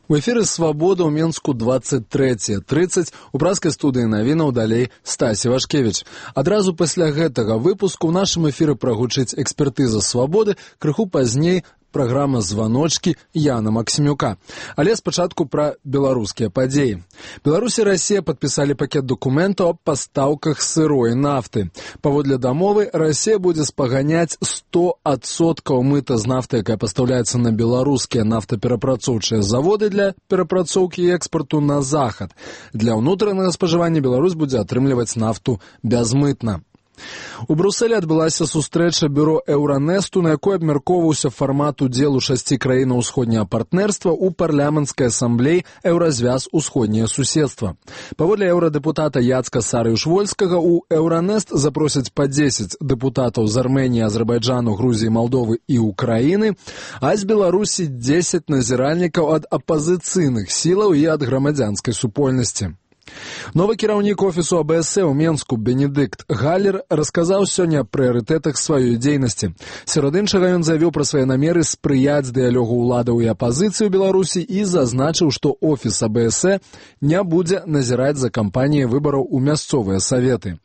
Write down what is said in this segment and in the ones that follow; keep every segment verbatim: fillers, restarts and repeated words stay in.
У эфіры «Свабода» ў Менску двадцать трэцяе трыццаць, у праскай студыі навінаў далей Стасі Вашкевіч. Адразу пасля гэтага выпуску ў нашым эфіры прагучыць экспертыза «Свабоды», крыху пазней праграма «Званочкі» Яна Максімюка. Але спачатку пра беларускія падзеі. Беларусь і Расія падпісалі пакет дакументаў аб пастаўках сырой нафты. Паводле дамовы, Расія будзе спаганяць сто адсоткаў мыта з нафты, якая пастаўляецца на беларускія нафтаперапрацоўчыя заводы для перапрацоўкі і экспарту на захад. Для ўнутранага спажывання Беларусь будзе атрымліваць нафту бязмытна. У Брусэлі адбылася сустрэча бюро Еўранэсту, на якой абмяркоўваўся фармат удзелу шасці краінаў усходняга партнерства ў парламенцкай асамблеі «Еўразвяз усходняе суседства». Паводле еўрадэпутата Яцка Сарыюш-Вольскага, у Еўранэст запросяць па дзесяць дэпутатаў з Арменіі, Азербайджану, Грузіі, Малдовы і Украіны, а з Беларусі дзесяць назіральнікаў ад апазіцыйных сілаў і ад грамадзянскай супольнасці. Новы кіраўнік офісу А Бэ Эс Э ў Менску Бенедыкт Галлер расказаў сёння аб прыярытэтах сваёй дзейнасці. Сярод іншага ён заявіў пра свае намеры спрыяць дыялогу ўладаў і апазіцыі ў Беларусі і зазначыў, што офіс А Бэ Эс Э не будзе назіраць за кампаніяй выбараў у мясцовыя саветы.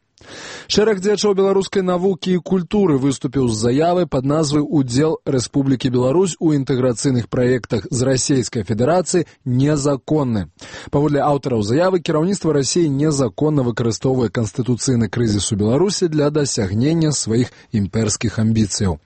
Шэраг дзеячоў беларускай навукі і культуры выступіў з заявай пад назвай «Удзел Рэспублікі Беларусь у інтэграцыйных праектах з Расійскай Федэрацыі незаконны». Паводле аўтараў заявы, кіраўніцтва Расіі незаконна выкарыстоўвае канстытуцыйны крызіс у Беларусі для дасягнення сваіх імперскіх амбіцыяў.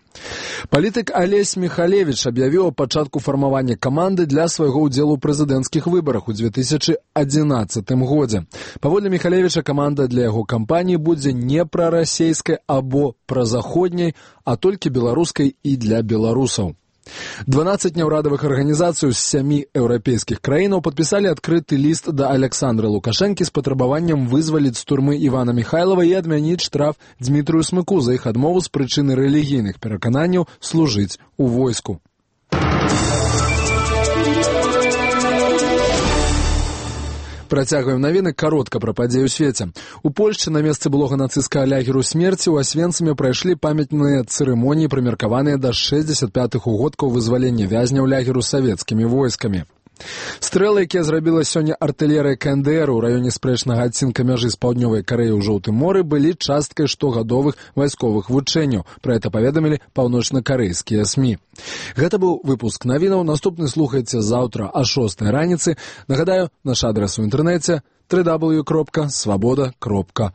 Палітык Алесь Міхалевіч аб'явіў аб пачатку фармавання каманды для свайго ўдзелу ў прэзідэнцкіх выбарах у дзве тысячы адзінаццатым годзе. Паводле Міхалевіча, каманда для яго кампаніі будзе не прарасейскай або празаходняй, а толькі беларускай і для беларусаў. дванаццаць няўрадавых арганізацый з сямі еўрапейскіх краінаў падпісалі адкрыты ліст да Аляксандры Лукашэнкі з патрабаваннем вызваліць з турмы Івана Міхайлава і адмяніць штраф Дзмітрыю Смыку за іх адмову з прычыны рэлігійных перакананняў служыць у войску. Працягваем навіны каротка пра падзеі ў свеце. У Польшчы на месцы былога нацысцкага лагеру смерці ў Асвенцыме прайшлі памятныя цырымоніі, прымеркаваныя да шэсцьдзесят пятых угодкаў вызвалення вязняў лагеру савецкімі войскамі. Стрэлы, якія зрабіла сёння артылерыя Ка Эн Дэ Эр у раёне спрэчнага адцінка мяжы з паўднёвай Карэяй у Жоўтым моры, былі часткай штогадовых вайсковых вучэнняў. Пра гэта паведамілі паўночнакарэйскія эс эм і. Гэта быў выпуск навінаў. Наступны слухайце заўтра а шостай раніцы. Нагадаю, наш адрас у інтэрнэце дабл ю дабл ю дабл ю кропка свабода кропка